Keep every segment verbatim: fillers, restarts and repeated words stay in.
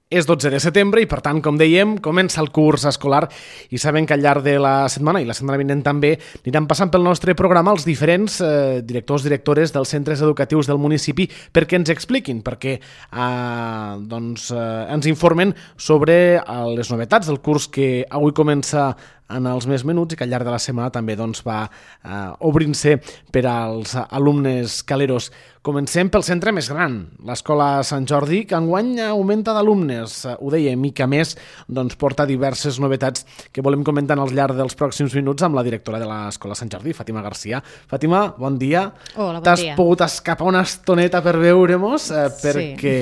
És dotze de setembre i, per tant, com dèiem, comença el curs escolar i sabem que al llarg de la setmana i la setmana vinent també aniran passant pel nostre programa els diferents eh, directors, directores dels centres educatius del municipi perquè ens expliquin, perquè eh, doncs, eh, ens informen sobre eh, les novetats del curs que avui comença en els més menuts i que al llarg de la setmana també doncs, va eh, obrint-se per als alumnes caleros. Comencem pel centre més gran, l'Escola Sant Jordi, que enguany augmenta d'alumnes. Ho dèiem, i que a més doncs, porta diverses novetats que volem comentar al llarg dels pròxims minuts amb la directora de l'Escola Sant Jordi, Fàtima Garcia. Fàtima, bon dia. Hola, bon T'has dia. T'has pogut escapar una estoneta per veure-mos eh, perquè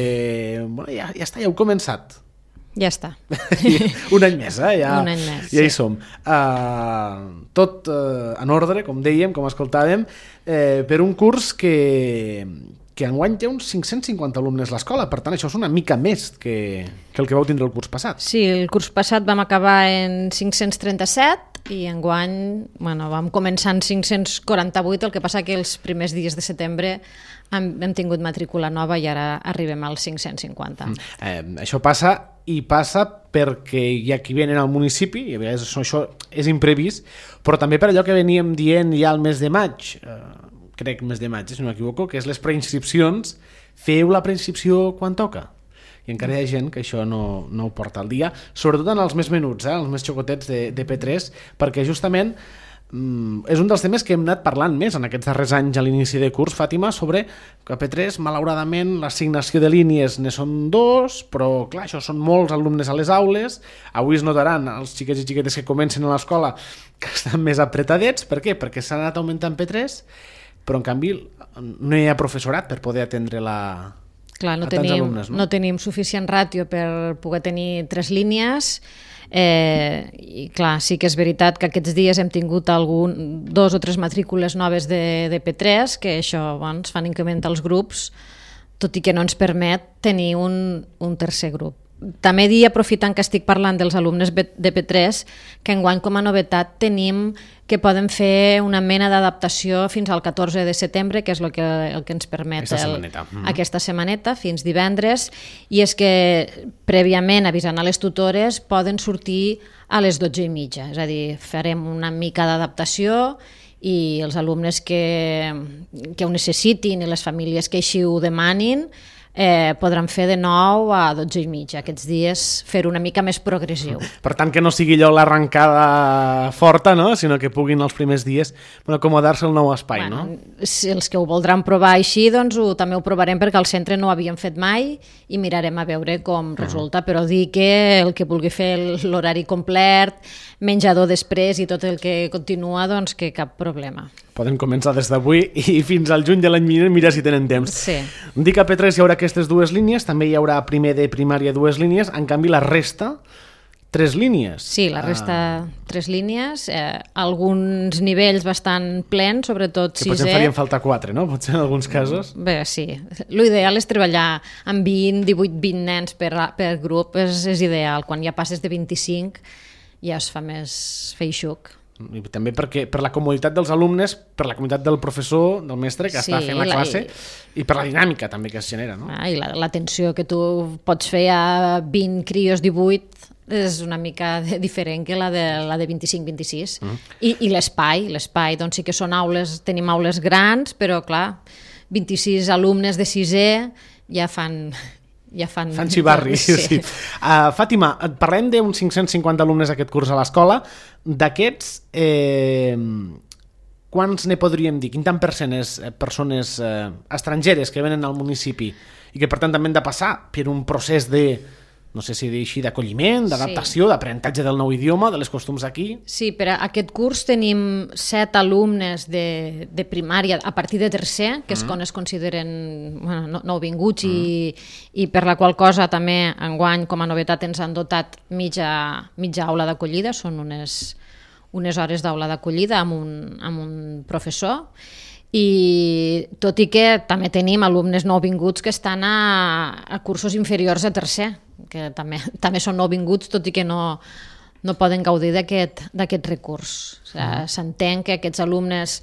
Sí. bueno, ja, ja està, ja heu començat. Ja està. Un any més, eh? Ja, Un any més, ja hi sí. som. Uh, tot uh, en ordre, com dèiem, com escoltàvem, eh, per un curs que, que enguany té uns cinc-cents cinquanta alumnes a l'escola, per tant això és una mica més que, que el que vau tindre el curs passat. Sí, el curs passat vam acabar en cinc-cents trenta-set i enguany bueno, vam començar en cinc-cents quaranta-vuit, el que passa que els primers dies de setembre hem, hem tingut matrícula nova i ara arribem als cinc-cents cinquanta. Mm. Eh, això passa i passa perquè hi ha qui venen al municipi, i a vegades això, això és imprevist, però també per allò que veníem dient ja al mes de maig, eh, crec mes de maig, si no m'equivoco, que és les preinscripcions, feu la preinscripció quan toca. I encara hi ha gent que això no, no ho porta al dia, sobretot en els més menuts, eh, els més xocotets de, de P tres, perquè justament mm, és un dels temes que hem anat parlant més en aquests darrers anys a l'inici de curs, Fàtima, sobre que a P tres, malauradament, l'assignació de línies ne són dos, però clar, això són molts alumnes a les aules, avui es notaran els xiquets i xiquetes que comencen a l'escola que estan més apretadets, per què? Perquè s'ha anat augmentant P tres, però en canvi no hi ha professorat per poder atendre la... Clar, no a tants tenim, alumnes, no? no tenim suficient ràtio per poder tenir tres línies. Eh, i clar, sí que és veritat que aquests dies hem tingut algun, dos o tres matrícules noves de, de P tres, que això bueno, ens fan incrementar els grups, tot i que no ens permet tenir un, un tercer grup. També dir, aprofitant que estic parlant dels alumnes de P tres, que enguany com a novetat tenim que poden fer una mena d'adaptació fins al catorze de setembre, que és el que, el que ens permet Aquesta el, setmaneta. Mm-hmm. aquesta setmaneta, fins divendres, i és que prèviament avisant a les tutores poden sortir a les dotze i mitja, és a dir, farem una mica d'adaptació i els alumnes que, que ho necessitin i les famílies que així ho demanin Eh, podran fer de nou a dotze i mitja aquests dies, fer una mica més progressiu. Per tant, que no sigui allò l'arrencada forta, no? Sinó que puguin els primers dies bueno, acomodar-se al nou espai, bueno, no? Si els que ho voldran provar així, doncs ho, també ho provarem perquè al centre no ho havíem fet mai i mirarem a veure com resulta, uh-huh. Però dir que el que vulgui fer l'horari complet, menjador després i tot el que continua, doncs que cap problema. Poden començar des d'avui i fins al juny de l'any vinent, mira si tenen temps. Sí. Dic que a P tres hi haurà aquestes dues línies, també hi haurà primer de primària dues línies, en canvi la resta, tres línies. Sí, la resta ah. tres línies, eh, alguns nivells bastant plens, sobretot que sisè. potser farien falta quatre, no? Potser en alguns casos. Bé, sí. L'ideal és treballar amb vint, divuit, vint nens per, per grup, és, és ideal. Quan ja passes de vint-i-cinc ja es fa més feixuc. I també perquè per la comoditat dels alumnes, per la comoditat del professor, del mestre que Sí, està fent la la- classe i... i per la dinàmica també que es genera, no? Ah, I la- l'atenció que tu pots fer a vint crios, divuit, és una mica de, diferent que la de, la de vint-i-cinc vint-i-sis. Mm. I, i l'espai, l'espai, doncs sí que són aules, tenim aules grans, però clar, vint-i-sis alumnes de sisè ja fan... Ja fan... Fan xivarri, sí. sí. Uh, Fàtima, et parlem d'uns cinc-cents cinquanta alumnes aquest curs a l'escola. D'aquests, eh, quants ne podríem dir? Quin tant per cent és persones eh, estrangeres que venen al municipi i que per tant també han de passar per un procés de, no sé si dir així, d'acolliment, d'adaptació, sí. d'aprenentatge del nou idioma, de les costums aquí? Sí, per a aquest curs tenim set alumnes de, de primària a partir de tercer, que és mm. quan es consideren bueno, no, nouvinguts mm. i, i per la qual cosa també enguany com a novetat ens han dotat mitja, mitja aula d'acollida, són unes, unes hores d'aula d'acollida amb un, amb un professor. I tot i que també tenim alumnes nouvinguts que estan a, a cursos inferiors a tercer, que també, també són nouvinguts, tot i que no, no poden gaudir d'aquest d'aquest recurs. O sigui, mm. S'entén que aquests alumnes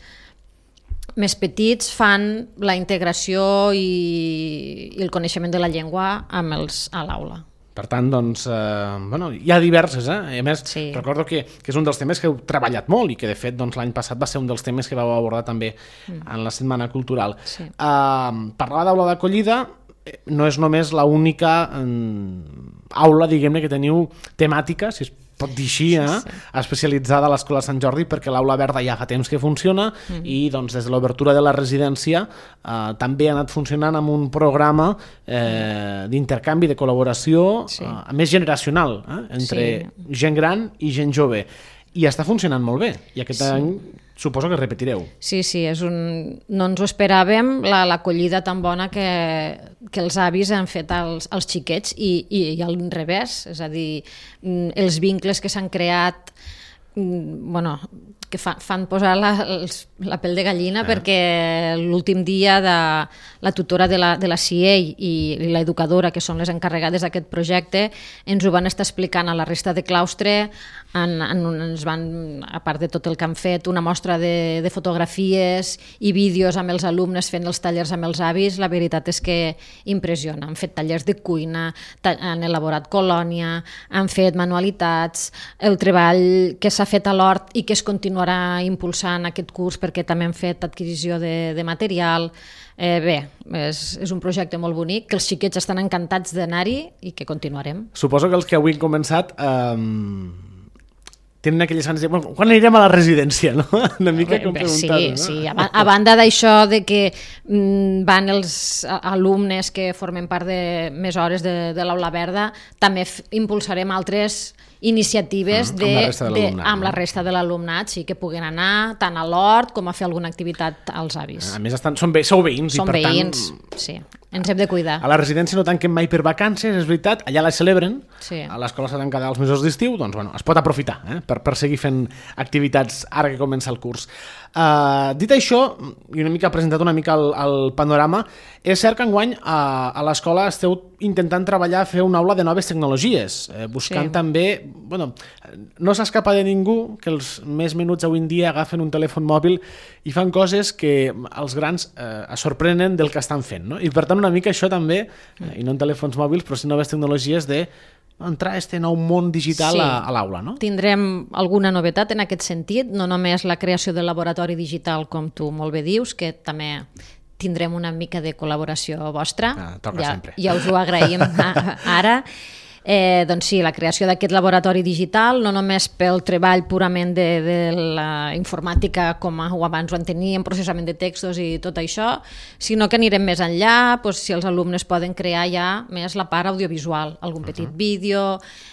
més petits fan la integració i, i el coneixement de la llengua amb els, a l'aula. Per tant, doncs, eh, bueno, hi ha diverses, eh? A més, Sí. recordo que, que és un dels temes que heu treballat molt i que, de fet, doncs, l'any passat va ser un dels temes que vau abordar també mm. en la Setmana Cultural. Sí. Eh, parlar d'aula d'acollida no és només l'única eh, aula, diguem-ne, que teniu temàtica, si es pot dir així, eh? Sí, sí. especialitzada a l'Escola Sant Jordi, perquè l'Aula Verda ja fa temps que funciona mm-hmm. i doncs, des de l'obertura de la residència eh, també ha anat funcionant amb un programa eh, d'intercanvi, de col·laboració sí. eh, més generacional, eh? entre sí. gent gran i gent jove. I està funcionant molt bé. I aquest sí. any suposo que repetireu. Sí, sí, és un... no ens ho esperàvem, l'acollida la, tan bona que, que els avis han fet als, als xiquets i, i, i al revés, és a dir, els vincles que s'han creat, bueno, que fa, fan posar la, els, la pell de gallina, eh. perquè l'últim dia de la tutora de la, de la C I E i, i l'educadora, que són les encarregades d'aquest projecte, ens ho van estar explicant a la resta de claustre, en, en, ens van, a part de tot el que han fet, una mostra de, de fotografies i vídeos amb els alumnes fent els tallers amb els avis. La veritat és que impressiona. Han fet tallers de cuina, han elaborat colònia, han fet manualitats, el treball que s'ha fet a l'hort i que es continuarà impulsant aquest curs perquè també han fet adquisició de, de material. Eh, bé, és, és un projecte molt bonic, que els xiquets estan encantats d'anar-hi i que continuarem. Suposo que els que avui han començat eh, tenen aquelles ganes de... Bueno, quan anirem a la residència, no? Una mica com preguntar. Sí, no? sí. A, a banda d'això de que mm, van els alumnes que formen part de més hores de, de l'Aula Verda, també f- impulsarem altres iniciatives mm, de, amb la resta de l'alumnat, de, amb no? la resta de l'alumnat, sí, que puguen anar tant a l'hort com a fer alguna activitat als avis. A més, estan, són ve, sou veïns. Són i per veïns, tant, sí. Ens hem de cuidar. A la residència no tanquem mai per vacances, és veritat, allà la celebren, Sí. a l'escola s'ha tancat els mesos d'estiu, doncs bueno, es pot aprofitar eh, per, per seguir fent activitats ara que comença el curs. Uh, dit això, i una mica presentat una mica el, el panorama, és cert que enguany a, a l'escola esteu intentant treballar a fer una aula de noves tecnologies, eh, buscant Sí. també, bueno, no s'escapa de ningú que els més menuts avui en dia agafen un telèfon mòbil i fan coses que els grans eh, es sorprenen del que estan fent, no? I per tant una mica això també, eh, i no en telèfons mòbils, però sí noves tecnologies de entrar a este nou món digital Sí. a, a l'aula, no? Tindrem alguna novetat en aquest sentit, no només la creació del laboratori digital, com tu molt bé dius, que també tindrem una mica de col·laboració vostra. Ah, toca ja, sempre. ja us ho agraïm ara. Eh, doncs sí, la creació d'aquest laboratori digital, no només pel treball purament de, de la informàtica com ho abans ho enteníem, processament de textos i tot això, sinó que anirem més enllà, doncs, si els alumnes poden crear ja més la part audiovisual, algun petit uh-huh. vídeo.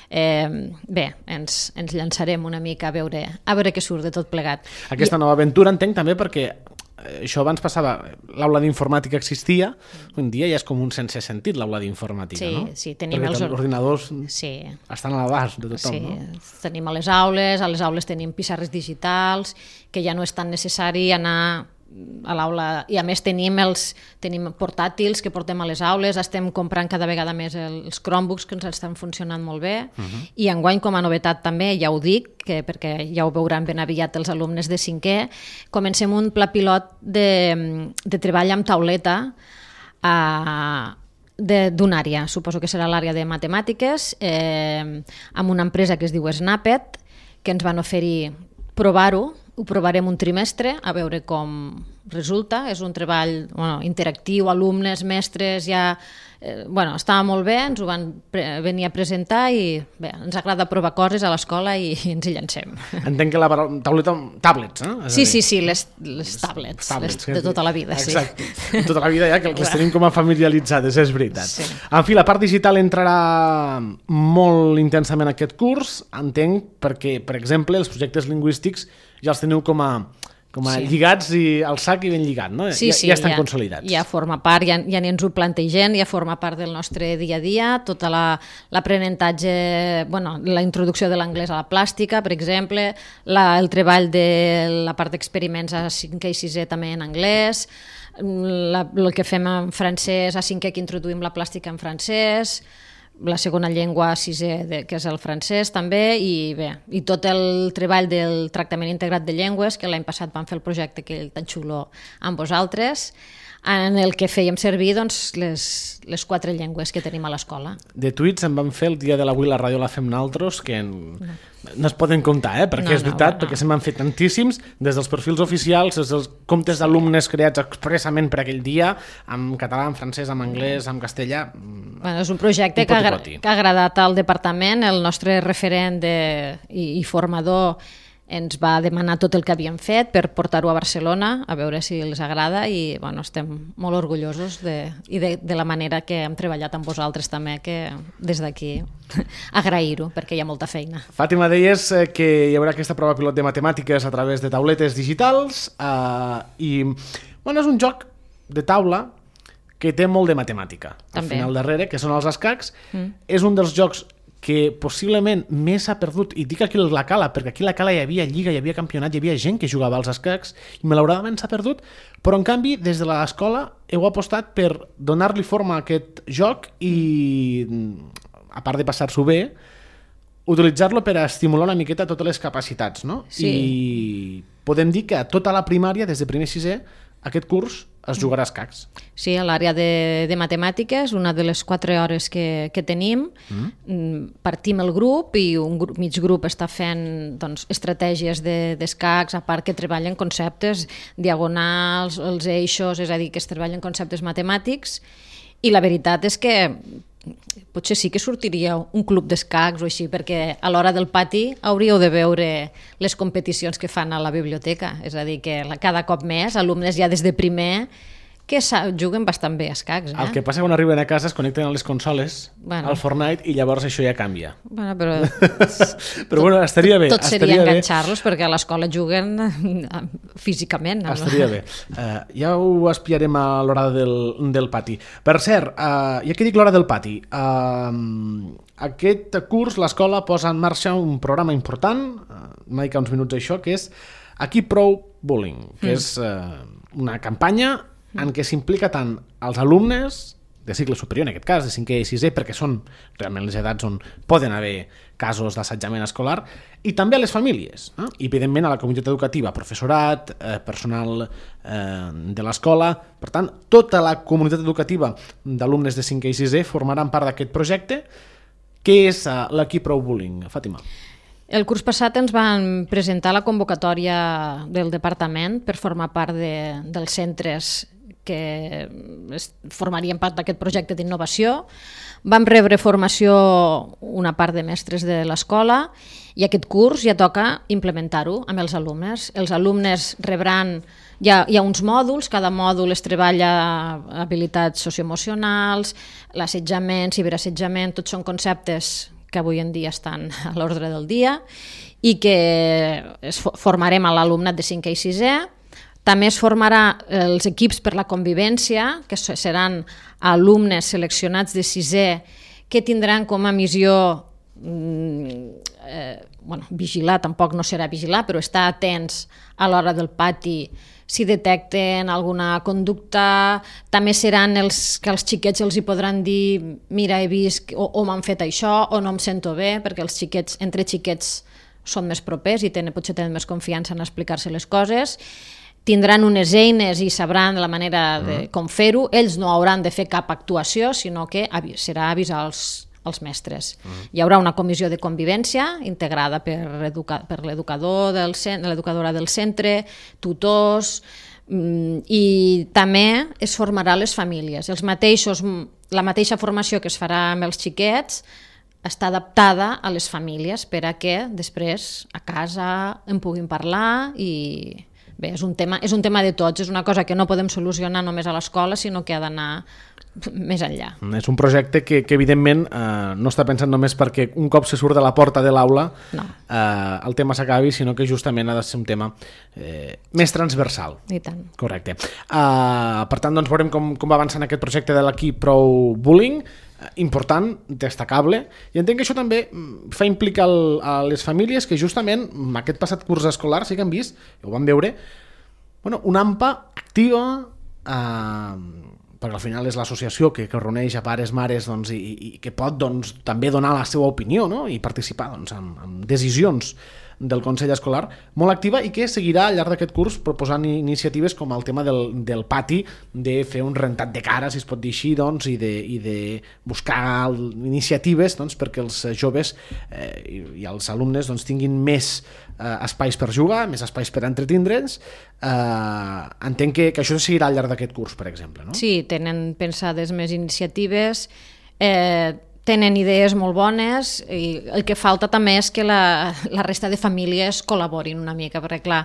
Eh, bé, ens, ens llançarem una mica a veure, a veure què surt de tot plegat. Aquesta I... nova aventura entenc també perquè això abans passava, l'aula d'informàtica existia, un dia ja és com un sense sentit l'aula d'informàtica, sí, no? Sí, tenim perquè els ordinadors sí. estan a l'abast de tothom, sí. no? Tenim a les aules, a les aules tenim pissarres digitals, que ja no és tan necessari anar a l'aula, i a més tenim els tenim portàtils que portem a les aules, estem comprant cada vegada més els Chromebooks que ens estan funcionant molt bé, uh-huh. i enguany com a novetat també, ja ho dic, que perquè ja ho veuran ben aviat els alumnes de cinquè, comencem un pla pilot de, de treball amb tauleta a d'una àrea, suposo que serà l'àrea de matemàtiques, eh, amb una empresa que es diu Snapet, que ens van oferir provar-ho, ho provarem un trimestre, a veure com resulta. És un treball bueno, interactiu, alumnes, mestres, ja... Eh, bueno, estava molt bé, ens ho van pre- venir a presentar i bé, ens agrada provar coses a l'escola i, i ens hi llancem. Entenc que la tauleta... Tablets, eh? És Sí, dir, sí, sí, les, les tablets, tablets les, de tota la vida. Exacte, sí. de tota la vida ja, que les tenim com a familiaritzades, és veritat. Sí. En fi, la part digital entrarà molt intensament en aquest curs, entenc, perquè, per exemple, els projectes lingüístics ja els teniu com a, com a sí. lligats i al sac i ben lligat, no? Sí, ja, sí, ja estan ja, consolidats. Ja forma part, ja, ja ni ens ho plantegem, ja forma part del nostre dia a dia, tota l'aprenentatge, la, bueno, la introducció de l'anglès a la plàstica, per exemple, la, el treball de la part d'experiments a cinquè i sisè també en anglès, la, el que fem en francès a cinquè que introduïm la plàstica en francès, la segona llengua a sisè, de, que és el francès també, i bé, i tot el treball del tractament integrat de llengües, que l'any passat vam fer el projecte que tan xulo amb vosaltres, en el que fèiem servir doncs, les, les quatre llengües que tenim a l'escola. De tuits en vam fer el dia de l'avui la ràdio la fem naltros, que en... no. no es poden comptar, eh? perquè no, és veritat, no, no. perquè se m'han fet tantíssims, des dels perfils oficials, des dels comptes d'alumnes creats expressament per aquell dia, en català, en francès, en anglès, en castellà... Bueno, és un projecte un que, ha, que ha agradat al departament. El nostre referent de, i, i formador ens va demanar tot el que havíem fet per portar-ho a Barcelona, a veure si els agrada, i bueno, estem molt orgullosos de, i de, de la manera que hem treballat amb vosaltres també, que des d'aquí agrair-ho, perquè hi ha molta feina. Fàtima, deies que hi haurà aquesta prova pilot de matemàtiques a través de tauletes digitals eh, i bueno, és un joc de taula que té molt de matemàtica. També. Al final darrere, que són els escacs, mm. és un dels jocs que possiblement més s'ha perdut, i dic aquí la Cala, perquè aquí la Cala hi havia lliga, hi havia campionat, hi havia gent que jugava als escacs, i malauradament s'ha perdut, però en canvi des de l'escola heu apostat per donar-li forma a aquest joc i, a part de passar-s'ho bé, utilitzar-lo per a estimular una miqueta totes les capacitats, no? Sí. I podem dir que a tota la primària, des de primer a sisè, aquest curs es jugarà a escacs. Sí, a l'àrea de, de matemàtiques, una de les quatre hores que, que tenim, mm. partim el grup i un grup, mig grup està fent doncs, estratègies d'escacs, de, a part que treballen conceptes diagonals, els eixos, és a dir, que es treballen conceptes matemàtics, i la veritat és que potser sí que sortiria un club d'escacs o així, perquè a l'hora del pati hauríeu de veure les competicions que fan a la biblioteca, és a dir, que cada cop més alumnes ja des de primer que juguen bastant bé a escacs. Eh? El que passa quan arriben a casa es connecten a les consoles, bueno. al Fortnite, i llavors això ja canvia. Bueno, però però bueno, estaria bé. Tot seria enganxar-los perquè a l'escola juguen físicament. No? Estaria bé. Uh, ja ho espiarem a l'hora del, del pati. Per cert, uh, ja que dic l'hora del pati, uh, aquest curs l'escola posa en marxa un programa important, uh, m'ha dit uns minuts això, que és Aquí prou bullying, que mm. és uh, una campanya en què s'implica tant els alumnes de cicle superior, en aquest cas, de cinquè i sisè, perquè són realment les edats on poden haver casos d'assetjament escolar, i també a les famílies, eh? I evidentment a la comunitat educativa, professorat, eh, personal eh, de l'escola. Per tant, tota la comunitat educativa d'alumnes de cinquè i sisè formaran part d'aquest projecte. Què és eh, l'Aquí prou bullying, Fàtima? El curs passat ens van presentar la convocatòria del departament per formar part de, dels centres que formarien part d'aquest projecte d'innovació. Vam rebre formació una part de mestres de l'escola i aquest curs ja toca implementar-ho amb els alumnes. Els alumnes rebran, hi ha, hi ha uns mòduls, cada mòdul es treballa habilitats socioemocionals, l'assetjament, ciberassetjament, tots són conceptes que avui en dia estan a l'ordre del dia i que es formarem a l'alumnat de cinquè i sisè. També es formarà els equips per la convivència, que seran alumnes seleccionats de sisè que tindran com a missió eh, bueno, vigilar, tampoc no serà vigilar, però estar atents a l'hora del pati si detecten alguna conducta. També seran els que als xiquets els hi podran dir mira, he vist o, o m'han fet això o no em sento bé, perquè els xiquets, entre xiquets són més propers i tenen, potser tenen més confiança en explicar-se les coses. Tindran unes eines i sabran la manera de com fer-ho. Ells no hauran de fer cap actuació, sinó que serà avisar els, els mestres. Mm. Hi haurà una comissió de convivència integrada per, educa, per l'educador del centre, l'educadora del centre, tutors, i també es formarà les famílies. Els mateixos, la mateixa formació que es farà amb els xiquets està adaptada a les famílies per a que després a casa en puguin parlar i... Bé, és un, tema, és un tema de tots, és una cosa que no podem solucionar només a l'escola, sinó que ha d'anar més enllà. És un projecte que, que evidentment, eh, no està pensant només perquè un cop se surt de la porta de l'aula no. eh, el tema s'acabi, sinó que justament ha de ser un tema eh, més transversal. I tant. Correcte. Uh, per tant, doncs, veurem com, com va avançant aquest projecte de l'Aquí prou bullying, important, destacable, i entenc que això també fa implicar el, a les famílies que justament aquest passat curs escolar sí que han vist, ho van veure, bueno, una A M P A activa, eh, perquè al final és l'associació que, que reuneix a pares, mares, doncs, i, i que pot doncs, també donar la seva opinió, no? I participar doncs, en, en decisions del Consell Escolar, molt activa i que seguirà al llarg d'aquest curs proposant iniciatives com el tema del, del pati, de fer un rentat de cara, si es pot dir així, doncs, i, de, i de buscar iniciatives doncs, perquè els joves eh, i, i els alumnes doncs, tinguin més eh, espais per jugar, més espais per entretindre'ns. Eh, entenc que, que això seguirà al llarg d'aquest curs, per exemple, no? Sí, tenen pensades més iniciatives, eh, tenen idees molt bones i el que falta també és que la, la resta de famílies col·laborin una mica, perquè clar,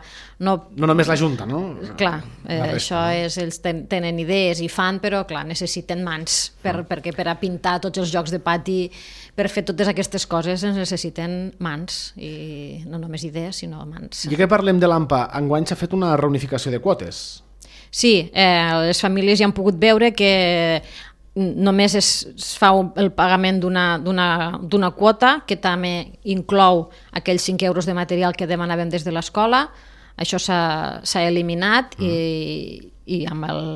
no... No només la Junta, no? Clar, eh, resta, això és, ells ten, tenen idees i fan, però clar, necessiten mans, per, ah. perquè per a pintar tots els jocs de pati, per fer totes aquestes coses es necessiten mans, i no només idees, sinó mans. I que parlem de l'A M P A, enguany s'ha fet una reunificació de quotes. Sí, eh, les famílies ja han pogut veure que només es, es fa el pagament d'una quota que també inclou aquells cinc euros de material que demanàvem des de l'escola. Això s'ha eliminat mm. i, i amb, el,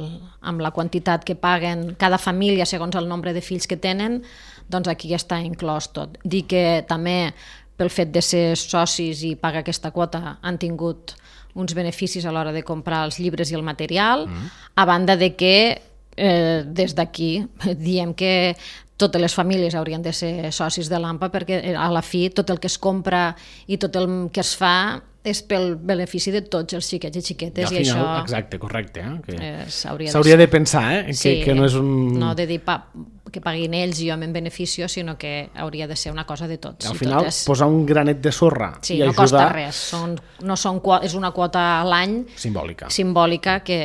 amb la quantitat que paguen cada família segons el nombre de fills que tenen, doncs aquí ja està inclòs tot. Dir que també pel fet de ser socis i pagar aquesta quota han tingut uns beneficis a l'hora de comprar els llibres i el material, mm. a banda de que Eh, des d'aquí diem que totes les famílies haurien de ser socis de l'A M P A perquè a la fi tot el que es compra i tot el que es fa és pel benefici de tots els xiquets i xiquetes. I, i final, això exacte, correcte. Eh? Que eh, s'hauria de, de, de pensar eh? que, sí, que no és un... No de dir pa, que paguin ells i jo me'n beneficio, sinó que hauria de ser una cosa de tots. Al final, totes. Posar un granet de sorra sí, i no ajudar... costa res. Són, no són, és una quota a l'any simbòlica. simbòlica que...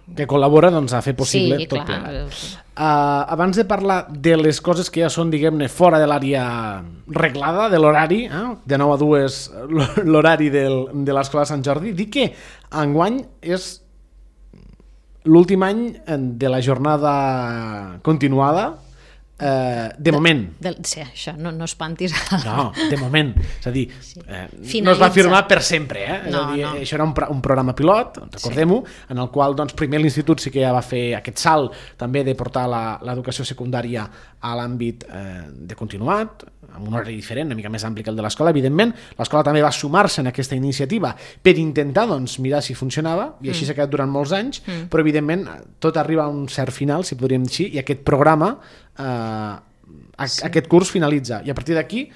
que col·labora doncs, a fer possible sí, tot clar. plegat. Uh, abans de parlar de les coses que ja són, diguem-ne, fora de l'àrea reglada, de l'horari, eh? de nou a dues l'horari del, de l'Escola Sant Jordi, dic que enguany és l'últim any de la jornada continuada, eh, de, de moment. De, sí, això, no, no espantis. No, de moment. És a dir, sí. eh, no es va firmar per sempre. Eh? És no, a dir, no. això era un, un programa pilot, recordem-ho, sí. en el qual doncs, primer l'Institut sí que ja va fer aquest salt també de portar l'educació secundària a l'àmbit eh, de continuat, amb un horari diferent, una mica més ampli que el de l'escola, evidentment. L'escola també va sumar-se en aquesta iniciativa per intentar doncs, mirar si funcionava, i així mm. s'ha quedat durant molts anys, mm. però evidentment tot arriba a un cert final, si podríem dir així, i aquest programa, eh, a, sí. aquest curs finalitza. I a partir d'aquí,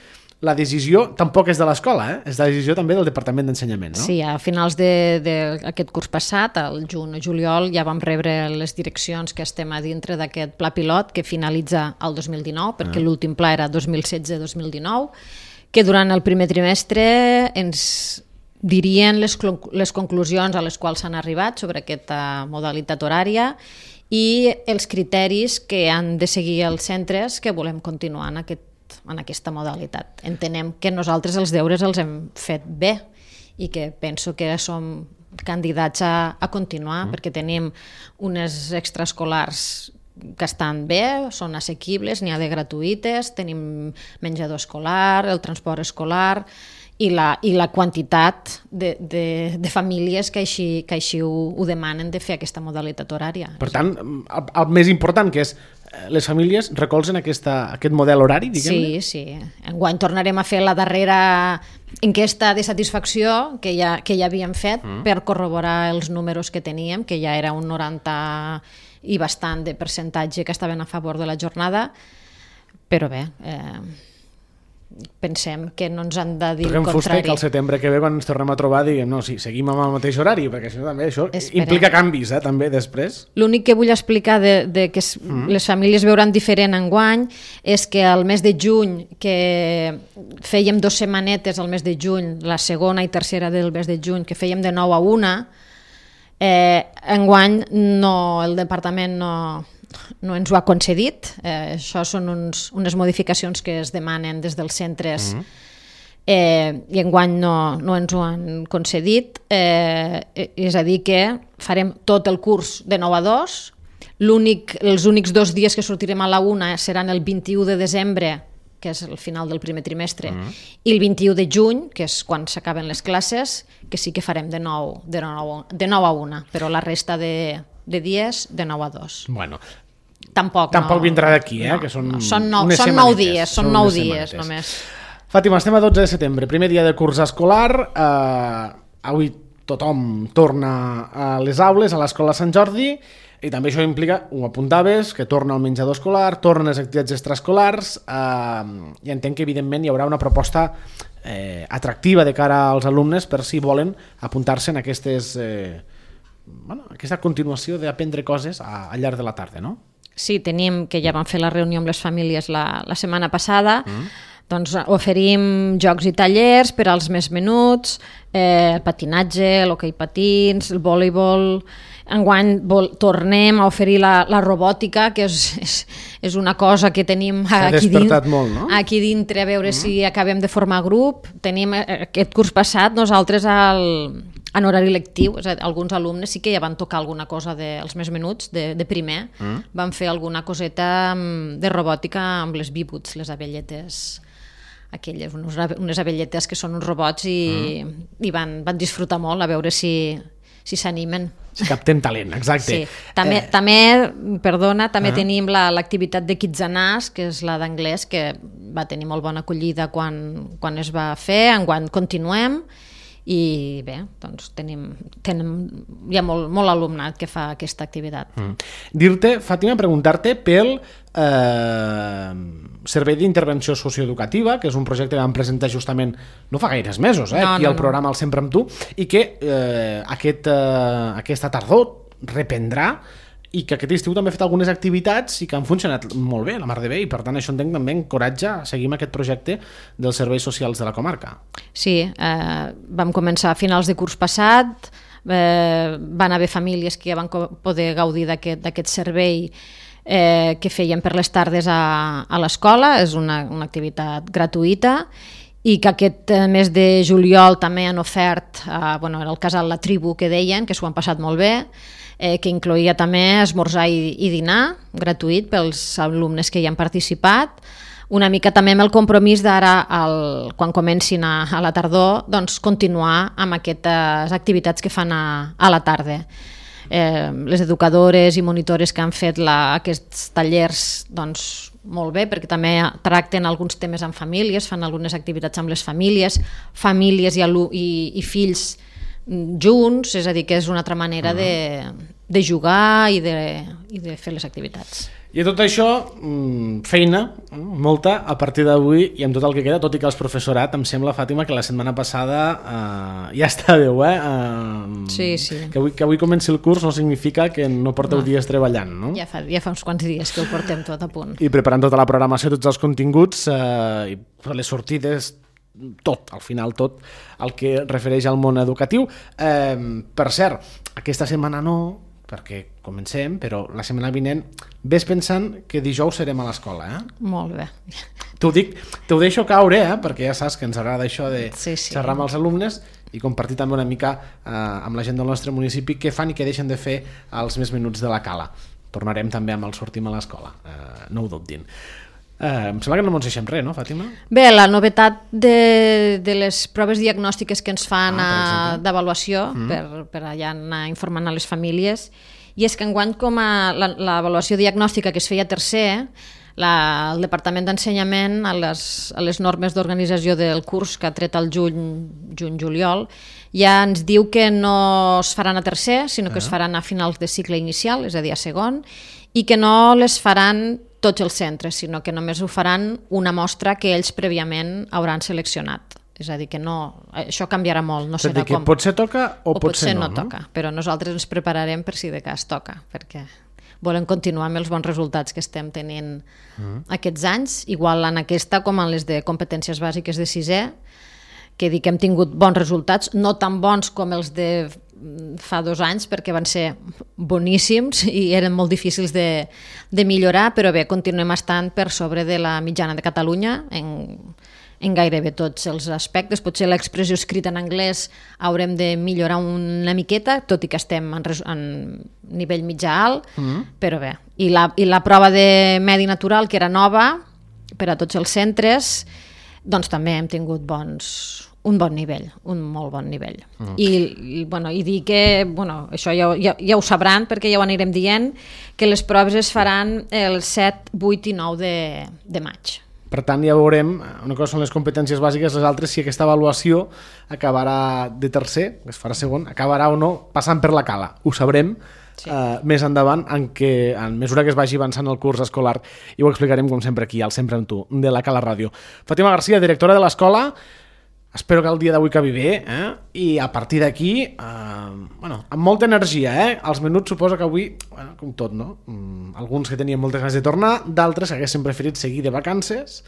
la decisió tampoc és de l'escola, eh? És la decisió també del Departament d'Ensenyament, no? Sí, a finals d'aquest curs passat, al juny o juliol, ja vam rebre les direccions que estem a dintre d'aquest pla pilot que finalitza el dos mil dinou, perquè ah. l'últim pla era dos mil setze dos mil dinou, que durant el primer trimestre ens dirien les, les conclusions a les quals s'han arribat sobre aquesta modalitat horària i els criteris que han de seguir els centres que volem continuar en aquest en aquesta modalitat. Entenem que nosaltres els deures els hem fet bé i que penso que som candidats a, a continuar mm. perquè tenim unes extraescolars que estan bé, són assequibles, n'hi ha de gratuïtes, tenim menjador escolar, el transport escolar i la, i la quantitat de, de, de famílies que així, que així ho, ho demanen de fer aquesta modalitat horària. Per tant, el, el més important que és les famílies recolzen aquesta, aquest model horari, diguem-ne? Sí, sí. Enguany tornarem a fer la darrera enquesta de satisfacció que ja, que ja havíem fet mm. per corroborar els números que teníem, que ja era un noranta i bastant de percentatge que estaven a favor de la jornada, però bé... Eh, pensem que no ens han de dir el contrari. Fuster, que al setembre que ve, quan ens tornem a trobar, diguem, no, sí, seguim amb el mateix horari, perquè això també això Esperem. implica canvis, eh, també, després. L'únic que vull explicar de, de que es, mm. les famílies veuran diferent enguany és que al mes de juny, que fèiem dos setmanetes al mes de juny, la segona i tercera del mes de juny, que fèiem de nou a una, eh, enguany no, el departament no... no ens ho ha concedit. Eh, això són uns, unes modificacions que es demanen des dels centres mm. eh, i enguany no, no ens ho han concedit. Eh, és a dir que farem tot el curs de nou a dos. L'únic, els únics dos dies que sortirem a la una seran el vint-i-u de desembre, que és el final del primer trimestre, mm. i el vint-i-u de juny, que és quan s'acaben les classes, que sí que farem de nou, de nou, de nou a una, però la resta de... de dies de nou a dos. Bueno, tampoc, tampoc no, vindrà d'aquí, eh? No, que són, no, són, nou, unes són nou dies, són, són nou dies només. Fàtima, estem a dotze de setembre, primer dia de curs escolar. Eh, avui tothom torna a les aules, a l'escola Sant Jordi, i també això implica, ho apuntaves, que torna al menjador escolar, tornen les activitats extraescolars, eh, i entenc que evidentment hi haurà una proposta eh, atractiva de cara als alumnes per si volen apuntar-se en aquestes, eh, bueno, aquesta continuació d'aprendre coses a, al llarg de la tarda, no? Sí, tenim, que ja vam fer la reunió amb les famílies la, la setmana passada, mm. doncs oferim jocs i tallers per als més menuts, eh, el patinatge, l'hoquei patins, el voleibol. Enguany vol, tornem a oferir la, la robòtica, que és, és, és una cosa que tenim aquí, dins, molt, no? aquí dintre, a veure mm. si acabem de formar grup. Tenim aquest curs passat, nosaltres al, en horari lectiu, és a dir, alguns alumnes sí que ja van tocar alguna cosa dels més menuts, de, de primer, mm. van fer alguna coseta de robòtica amb les bíbuts, les abelletes aquelles, unes abelletes que són uns robots i, mm. i van, van disfrutar molt a veure si si s'animen. Si captem talent, exacte. Sí. També, eh... també perdona, també uh -huh. tenim l'activitat de Kitsanàs, que és la d'anglès, que va tenir molt bona acollida quan, quan es va fer, enguany continuem, i bé, doncs tenim, tenim hi ha molt, molt alumnat que fa aquesta activitat. Mm. Dir-te, Fàtima, preguntar-te pel eh, Servei d'Intervenció Socioeducativa, que és un projecte que vam presentar justament no fa gaires mesos, eh, no, aquí no, al programa no. El Sempre amb tu, i que eh, aquest, eh, aquesta tardor reprendrà, i que aquest estiu també ha fet algunes activitats i que han funcionat molt bé, la mar de bé, i per tant això entenc també encoratja a seguir amb aquest projecte dels serveis socials de la comarca. Sí, eh, vam començar a finals de curs passat, eh, van haver famílies que ja van poder gaudir d'aquest servei eh, que feien per les tardes a, a l'escola, és una, una activitat gratuïta, i que aquest mes de juliol també han ofert, eh, bueno, era el casal La Tribu que deien, que s'ho han passat molt bé, eh, que incloïa també esmorzar i, i dinar gratuït pels alumnes que hi han participat, una mica també amb el compromís d'ara, quan comencin a, a la tardor, doncs continuar amb aquestes activitats que fan a, a la tarda. Eh, les educadores i monitores que han fet la, aquests tallers, doncs molt bé, perquè també tracten alguns temes amb famílies, fan algunes activitats amb les famílies, famílies i, i, i fills junts, és a dir, que és una altra manera uh-huh. de, de jugar i de, i de fer les activitats. I tot això, feina, molta, a partir d'avui i amb tot el que queda, tot i que el professorat, em sembla, Fàtima, que la setmana passada eh, ja estàveu, eh? eh sí, sí. Que avui, que avui comenci el curs no significa que no porteu no. dies treballant, no? Ja fa, ja fa uns quants dies que ho portem tot a punt. I preparant tota la programació, tots els continguts, eh, i les sortides, tot, al final tot el que refereix al món educatiu. Eh, per cert, aquesta setmana no, perquè comencem, però la setmana vinent ves pensant que dijous serem a l'escola, eh? Molt bé. T'ho dic, t'ho deixo caure, eh? Perquè ja saps que ens agrada això de sí, sí. xerrar amb els alumnes i compartir també una mica eh, amb la gent del nostre municipi què fan i què deixen de fer als més menuts de la Cala. Tornarem també amb el Sortim a l'escola, eh, no ho dubtin. Eh, em sembla que no ens deixem res, no, Fàtima? Bé, la novetat de, de les proves diagnòstiques que ens fan ah, d'avaluació mm. per, per allà anar informant a les famílies, i és que enguany com a l'avaluació diagnòstica que es feia a tercer, la, el Departament d'Ensenyament a les, a les normes d'organització del curs que ha tret el juny, juny-juliol, ja ens diu que no es faran a tercer, sinó que ah. es faran a finals de cicle inicial, és a dir, a segon, i que no les faran tots els centres, sinó que només ho faran una mostra que ells prèviament hauran seleccionat. És a dir, que no, això canviarà molt, no serà com... Potser toca o, o potser, potser no, no, toca, no? Però nosaltres ens prepararem per si de cas toca, perquè volem continuar amb els bons resultats que estem tenint mm. aquests anys, igual en aquesta com en les de competències bàsiques de sisè, que dic que hem tingut bons resultats, no tan bons com els de fa dos anys, perquè van ser boníssims i eren molt difícils de, de millorar, però bé, continuem estant per sobre de la mitjana de Catalunya en, en gairebé tots els aspectes. Potser l'expressió escrita en anglès haurem de millorar una miqueta, tot i que estem en, en nivell mitjà alt, mm. però bé. I la, I la prova de medi natural, que era nova per a tots els centres, doncs també hem tingut bons... un bon nivell, un molt bon nivell. Mm. I, i, bueno, i dir que, bueno, això ja, ja, ja ho sabran perquè ja ho anirem dient, que les proves es faran el set, vuit i nou de, de maig. Per tant, ja veurem, una cosa són les competències bàsiques, les altres, si aquesta avaluació acabarà de tercer, que es farà segon, acabarà o no passant per la cala. Ho sabrem sí. uh, més endavant, en, què, en mesura que es vagi avançant el curs escolar, i ho explicarem, com sempre, aquí, al Sempre amb tu, de la Cala Ràdio. Fàtima Garcia, directora de l'escola, espero que el dia d'avui acabi bé, eh? I a partir d'aquí, eh, bueno, amb molta energia, eh? Els menuts suposo que avui, bueno, com tot, no? Mm, alguns que tenien moltes ganes de tornar, d'altres haguessin preferit seguir de vacances,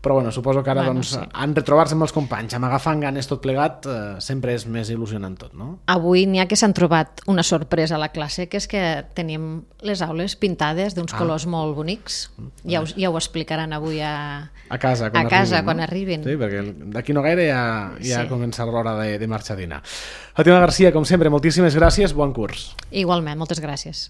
però bueno, suposo que ara bueno, doncs, sí. en retrobar-se amb els companys, amb agafant ganes tot plegat, eh, sempre és més il·lusionant tot, no? Avui n'hi ha que s'han trobat una sorpresa a la classe, que és que tenim les aules pintades d'uns ah. colors molt bonics. Ja ho, ja ho explicaran avui a, a casa, quan, a casa, arribin, quan no? arribin. Sí, perquè d'aquí no gaire ja, ja sí. comença l'hora de, de marxar a dinar. Fàtima Garcia, com sempre, moltíssimes gràcies, bon curs. Igualment, moltes gràcies.